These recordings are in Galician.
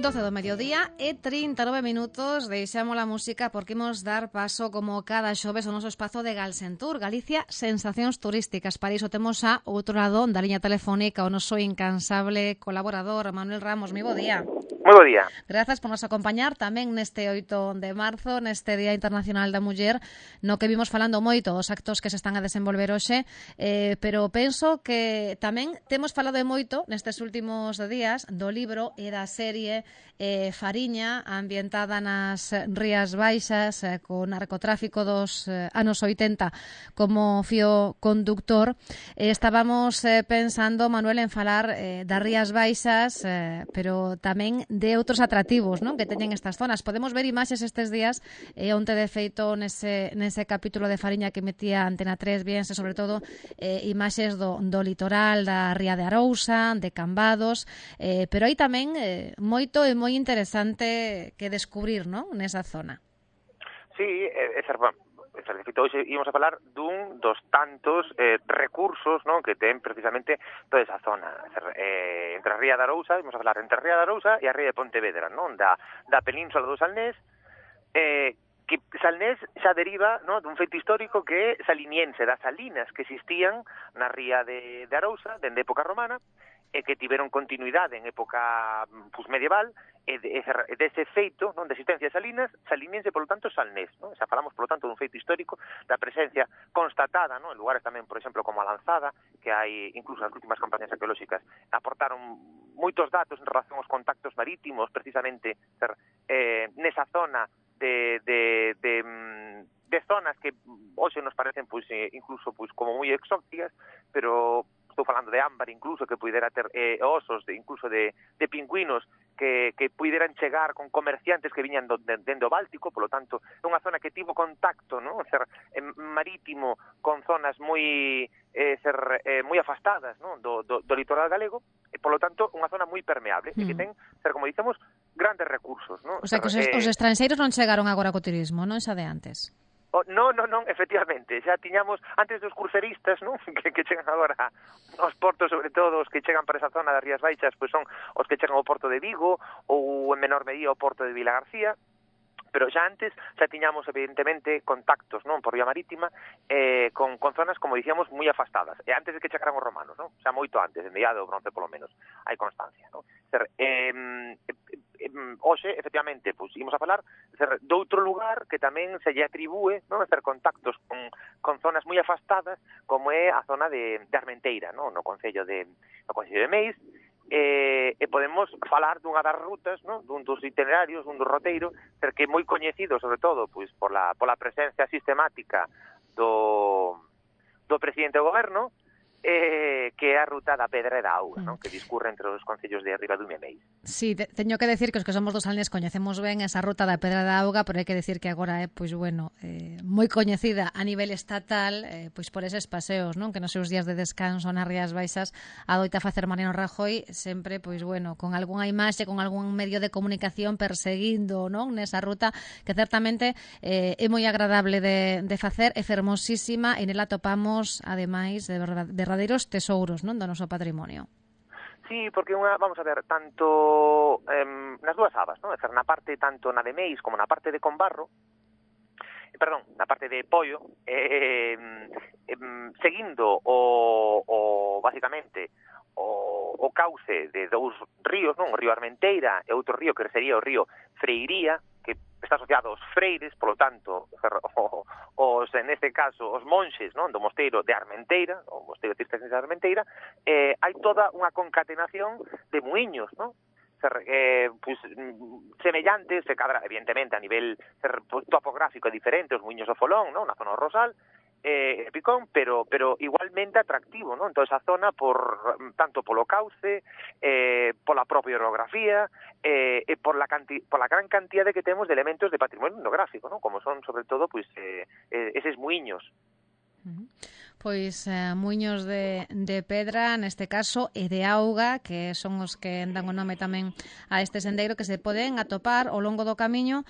12 do mediodía e 39 minutos. Deixamos a música porque imos dar paso como cada xoves ao noso espazo de Galsentur, Galicia, sensacións turísticas. Para iso temos a outro lado da liña telefónica o noso incansable colaborador Manuel Ramos. Moi bo día. Moi bo día. Grazas por nos acompañar tamén neste 8 de marzo, neste Día Internacional da Muller, no que vimos falando moito dos actos que se están a desenvolver hoxe, pero penso que tamén temos falado moito nestes últimos días do libro e da serie Fariña, ambientada nas Rías Baixas, co narcotráfico dos anos 80 como fío conductor. Estábamos pensando, Manuel, en falar das Rías Baixas, pero tamén de outros atractivos, non, que teñen estas zonas. Podemos ver imaxes estes días, onte de feito nese capítulo de Fariña que metía Antena 3, viense sobre todo imaxes do litoral, da Ría de Arousa, de Cambados, pero hai tamén moito e moi interesante que descubrir, non, nesa zona. Sí, é certo. De feito, hoxe íbamos a falar dun dos tantos recursos, non, que ten precisamente toda esa zona. Entre a Ría de Arousa, íbamos a falar entre a Ría de Arousa e a Ría de Pontevedra, non, da península do Salnés, que Salnés xa deriva, non, dun feito histórico que é saliniense, das salinas que existían na Ría de Arousa, dende época romana, e que tiveron continuidade en época medieval, e dese feito, non, de existencia de salinas, saliniense, polo tanto, salnés, non? Xa falamos, polo tanto, dun feito histórico, da presencia constatada, non, en lugares tamén, por exemplo, como a Lanzada, que hai, incluso nas últimas campañas arqueolóxicas, aportaron moitos datos en relación aos contactos marítimos, precisamente, nesa zona de zonas que hoxe nos parecen, incluso, como moi exóticas, pero estou falando de ámbar incluso, que pudera ter osos, incluso de pingüinos que puderan chegar con comerciantes que viñan dende o Báltico, polo tanto, é unha zona que tivo contacto, non, marítimo con zonas moi afastadas, non, do litoral galego, e polo tanto unha zona moi permeable, e que ten, como dicemos, grandes recursos, non? O sea, que os estranxeiros non chegaron agora co turismo, non, xa de antes. Non, efectivamente, xa tiñamos antes dos cruceristas, non, que chegan agora aos portos, sobre todo os que chegan para esa zona das Rías Baixas, pois son os que chegan ao porto de Vigo ou en menor medida ao porto de Vilagarcía, pero xa antes xa tiñamos evidentemente contactos, non, por vía marítima con zonas, como dicíamos, moi afastadas, e antes de que chegaran os romanos, non, xa moito antes, en mediado do bronce polo menos, hai constancia, non? Hoxe, efectivamente, pois imos a falar de outro lugar que tamén se lle atribúe, non, hacer contactos con zonas moi afastadas, como é a zona de Armenteira, non, no Concello de Meis, e podemos falar dunha das rutas, non, dun dos itinerarios, dun dos roteiros, que é moi coñecido, sobre todo, pois pola presencia sistemática do presidente do goberno, que é a ruta da Pedra e da Auga, non, que discurre entre os concellos de Ribadumia e Meis. Sí, teño que decir que os que somos dos Salnés coñecemos ben esa ruta da Pedra da Auga, pero hai que decir que agora é, pois, bueno, moi coñecida a nivel estatal, pois por eses paseos, non, que nos seus días de descanso nas Rías Baixas adoita facer Mariano Rajoy, sempre, pois, bueno, con algunha imaxe, con algún medio de comunicación perseguindo, non, nesa ruta, que certamente é moi agradable de facer, é fermosísima, e nela topamos, ademais, de verdadeiros tesouros, non, do noso patrimonio. Sí, porque vamos a ver, tanto nas dúas abas, non? É dizer, na parte tanto na de Meis como na parte de Combarro, na parte de Poio, seguindo basicamente o cauce de dous ríos, non? O río Armenteira e outro río que sería o río Freiría, que está asociado aos freires, polo tanto, neste caso, os monxes, non, do mosteiro de Armenteira, o mosteiro cisterciense de Armenteira, hai toda unha concatenación de muiños, non? Semellantes, evidentemente, a nivel topográfico é diferente, os muiños do Folón, non, na zona do Rosal, Picón, pero igualmente atractivo, non? Toda esa zona, tanto polo cauce, pola propia orografía, e por la gran cantidad que temos de elementos de patrimonio etnográfico, non? Como son, sobre todo, pois eses muiños. Pois muiños de pedra, neste caso, e de auga, que son os que dan o nome tamén a este sendeiro, que se poden atopar ao longo do camiño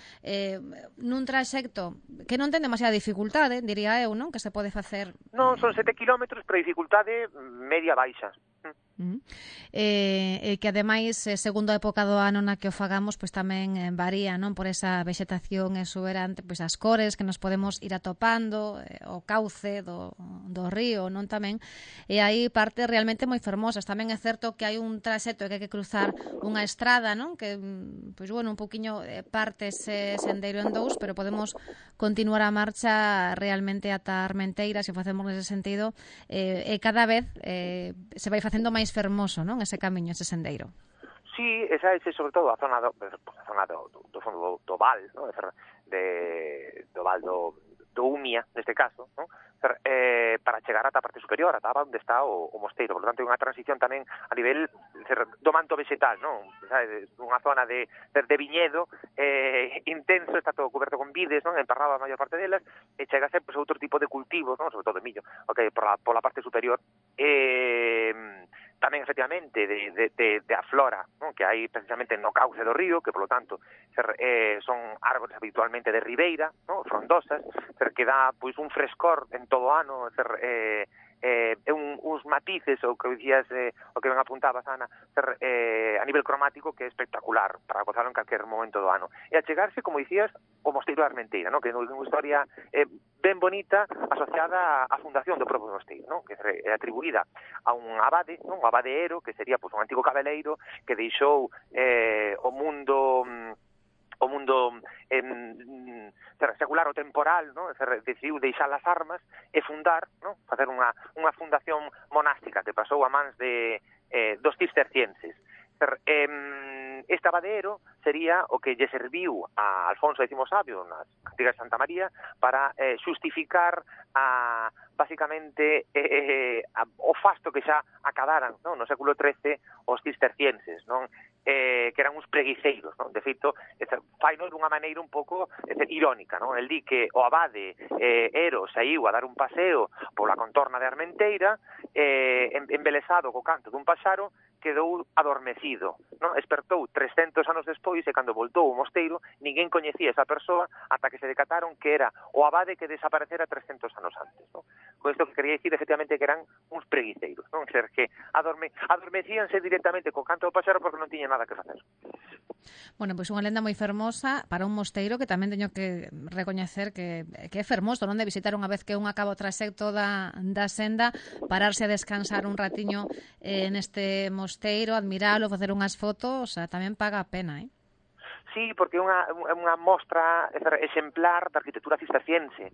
nun traxecto que non ten demasiada dificultade, diría eu, non? Que se pode facer... Non, son 7 kilómetros, pero dificultade media baixa. Que ademais, segundo a época do ano na que o fagamos, pois tamén varía, non, por esa vexetación exuberante, pois as cores que nos podemos ir atopando, o cauce do río, non, tamén, e aí parte realmente moi fermosas. Tamén é certo que hai un traxecto que hai que cruzar unha estrada, non, que, pois, bueno, un poquinho parte ese sendeiro en dous, pero podemos continuar a marcha realmente ata Armenteira, se facemos nese sentido, e cada vez se vai facendo máis fermoso, non, ese camiño, ese sendeiro. Sí, esa é sobre todo a zona do fondo do Val, non? Do Val do Umia, neste caso, non? Para chegar ata a parte superior, ata onde está o mosteiro. Por lo tanto, é unha transición tamén a nivel do manto vegetal, non? Unha zona de viñedo intenso, está todo coberto con vides, non? Emparrado a maior parte delas, e chega a ser pues, outro tipo de cultivos, non? Sobre todo de millo, por la parte superior. Tamén, efectivamente, de a flora, non? Que hai precisamente no cauce do río, que, por lo tanto, son árbores habitualmente de ribeira, non? Frondosas, que dá pois, un frescor en todo o ano, uns matices, o que dicías, o que ben apuntabas, Ana, a nivel cromático que é espectacular para gozarlo en calquer momento do ano. E a chegarse, como dicías, o Mosteiro da Armenteira, non? Que é unha historia ben bonita asociada á fundación do propio mosteiro, non? Que é atribuída a un abade, non? Un abadeero, que sería pois, un antigo cabeleiro que deixou o mundo secular ou temporal, non? Decidiu deixar as armas e fundar, non? Facer unha fundación monástica que pasou a mans dos cistercienses. Este abadeero sería o que lle serviu a Alfonso X Sabio nas Cantigas de Santa María para xustificar basicamente o fasto que xa acabaran, non? No século XIII os cistercienses, non? Que eran uns preguiceiros, non? De feito, faino dunha maneira un pouco irónica, non? El di que o abade Ero saiu a dar un paseo pola contorna de Armenteira, embelesado co canto dun paxaro, quedou adormecido, non? Espertou 300 anos despois e cando voltou ao mosteiro ninguén coñecía esa persoa ata que se decataron que era o abade que desaparecera 300 anos antes, non? Con isto que quería dicir efectivamente que eran uns preguiceiros, non? Ser que adormecíanse directamente co canto do paxaro porque non tiñan nada que facer. Bueno, pois unha lenda moi fermosa para un mosteiro que tamén teño que recoñecer que é fermoso, non? De visitar unha vez que un acaba o traxecto da senda, pararse a descansar un ratiño neste mosteiro, admiralo, facer unhas fotos, tamén paga a pena, Sí, porque é unha mostra exemplar da arquitectura cisterciense.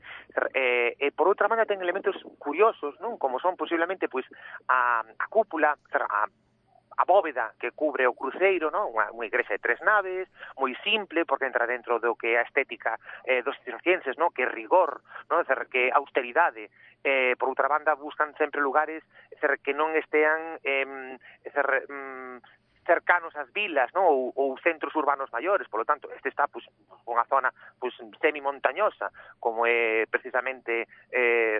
E por outra banda ten elementos curiosos, non? Como son posiblemente pois a cúpula, a bóveda que cubre o cruceiro, non? Unha igrexa de 3 naves, moi simple, porque entra dentro do que é a estética dos cistercienses, non? Que é rigor, non? Que é austeridade. Por outra banda, buscan sempre lugares que non estean cercanos ás vilas, non? Ou centros urbanos maiores, polo tanto, este está pois unha zona pois semi-montañosa, como é precisamente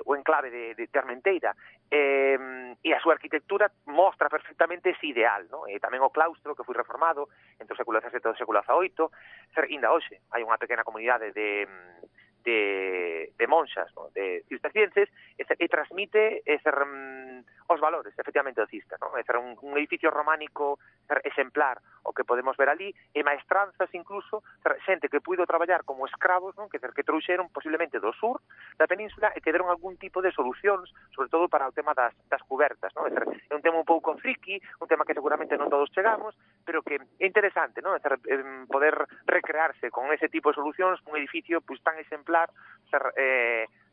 o enclave de Armenteira, e a súa arquitectura mostra perfectamente ese ideal, non? E tamén o claustro que foi reformado entre o século XVII e o século XVIII, ainda hoxe hai unha pequena comunidade de monxas, non? De cistercienses, e transmite os valores, efectivamente, do cister, non? É un edificio románico exemplar o que podemos ver ali, e maestranzas incluso, xente que puido traballar como escravos, non? Que trouxeron posiblemente do sur da península e que deron algún tipo de solucións, sobre todo para o tema das cubertas, non? É un tema un pouco friki, un tema que seguramente non todos chegamos, pero que é interesante, non? Poder recrearse con ese tipo de solucións un edificio pois tan exemplar,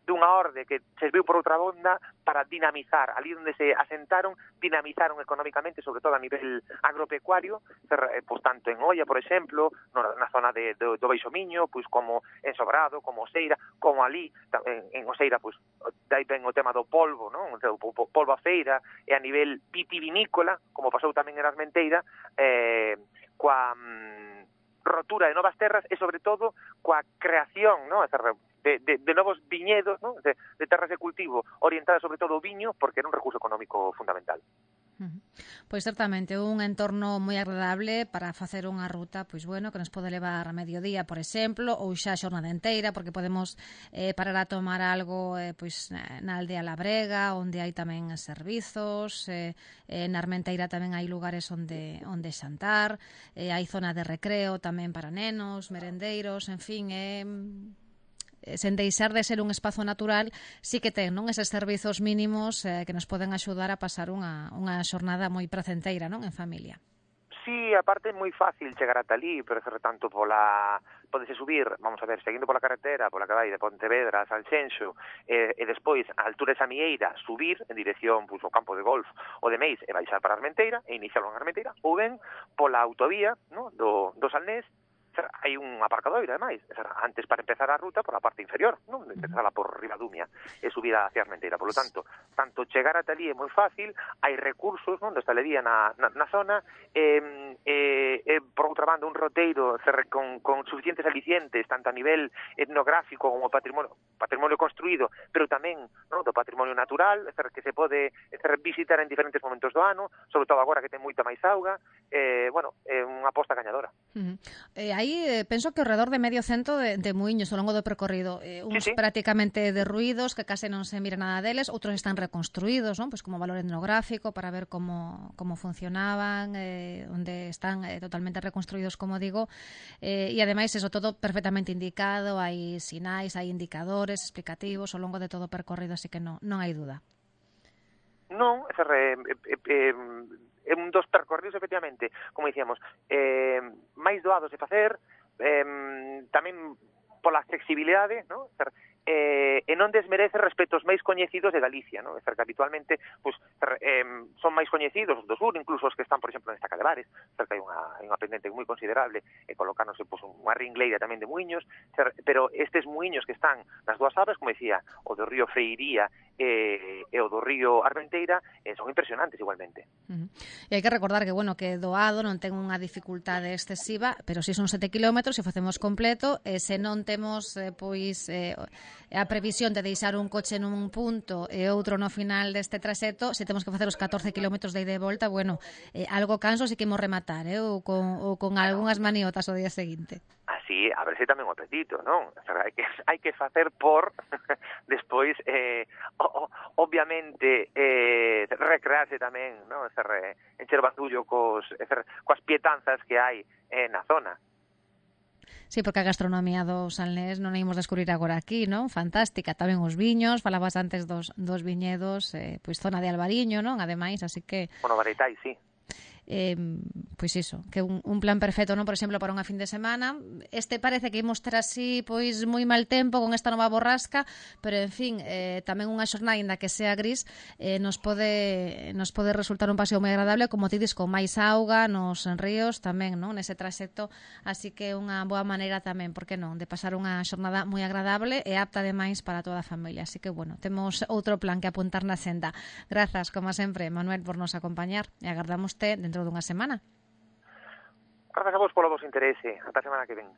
dunha orde que se viu por outra banda para dinamizar, ali onde se asentaron, dinamizaron económicamente, sobre todo a nivel agropecuario, pois tanto en Oia, por exemplo, na zona do Baixo Miño, pois como en Sobrado, como Oseira, como ali, en Oseira, pois dai ben o tema do polvo, non? O polvo a feira, e a nivel vitivinícola, como pasou tamén en Armenteira, coa rotura de novas terras e, sobre todo, coa creación, non? De novos viñedos, ¿no? De terras de cultivo orientadas sobre todo ao viño, porque era un recurso económico fundamental. Pois certamente un entorno moi agradable para facer unha ruta, pois bueno, que nos pode levar a mediodía, por exemplo, ou xa a xornada inteira, porque podemos parar a tomar algo pois na aldea Labrega, onde hai tamén servizos, na Armenteira tamén hai lugares onde xantar, hai zona de recreo tamén para nenos, merendeiros, en fin, sen deixar de ser un espazo natural, sí que ten, non, eses servizos mínimos que nos poden axudar a pasar unha xornada moi pracenteira, non, en familia. Sí, aparte é moi fácil chegar ata ali, pero tanto podese subir, vamos a ver, seguindo pola carretera, pola que vai de Pontevedra a Salxenxo, e despois, a altura de Samieira, subir en dirección ao campo de golf ou de Meis e baixar para Armenteira, e iniciarlo en Armenteira, ou ben pola autovía, no, do Salnés, hai un aparcadoiro, ademais, antes para empezar a ruta por a parte inferior, non? Empezala por Ribadumia e subir hacia Armenteira. Por lo tanto chegar ata ali é moi fácil, hai recursos, non, de hostalería na zona, por outra banda, un roteiro con suficientes alicientes, tanto a nivel etnográfico como patrimonio construído, pero tamén, non, do patrimonio natural, que se pode visitar en diferentes momentos do ano, sobre todo agora que ten moita máis auga, é unha aposta gañadora. Aí penso que ao redor de medio cento de muiños ao longo do percorrido, uns prácticamente derruídos, que case non se mira nada deles, outros están reconstruídos, non? Pois como valor etnográfico para ver como funcionaban, onde están totalmente reconstruídos, como digo, e ademais eso todo perfectamente indicado, hai sinais, hai indicadores explicativos ao longo de todo o percorrido, así que non hai duda. Non, é un dos percorridos, efectivamente, como dicíamos, máis doados de facer, tamén pola accesibilidade, non? E non desmerece respecto aos máis coñecidos de Galicia, non? Que habitualmente son máis coñecidos os do sur, incluso os que están, por exemplo, en Estaca de Bares, que hai unha pendente moi considerable, e colocarnos unha ringleira tamén de muiños, pero estes muiños que están nas dúas abas, como decía, o do río Freiría e o do río Armenteira, son impresionantes igualmente. E hai que recordar que, que doado non ten unha dificultade excesiva, pero si son 7 kilómetros, se facemos completo, se non temos a previsión de deixar un coche nun punto e outro no final deste traxecto, se temos que facer os 14 kilómetros de ida e volta, algo canso si que imos rematar, ou con algunhas maniotas o día seguinte. Así, a ver se tamén o apetito, non? Hai que facer por despois, obviamente, recrearse tamén, non? Encher bandullo coas pietanzas que hai na zona. Sí, porque a gastronomía do Salnés non a imos descubrir agora aquí, non? Fantástica, tamén os viños, falabas antes dos viñedos, pois zona de Albariño, non? Ademais, así que... Bareitai, sí. Pois iso, que un plan perfecto, non, por exemplo, para unha fin de semana. Este parece que imos ter así pois moi mal tempo con esta nova borrasca, pero en fin, tamén unha xornada ainda que sea gris, nos pode resultar un paseo moi agradable, como ti dis, con máis auga nos ríos tamén, non, nese traxecto, así que unha boa maneira tamén, por que non, de pasar unha xornada moi agradable e apta ademais para toda a familia. Así que temos outro plan que apuntar na senda. Grazas, como sempre, Manuel, por nos acompañar e agardamos dentro dunha semana. Grazas a vos polo vos interese. Ata a semana que ven.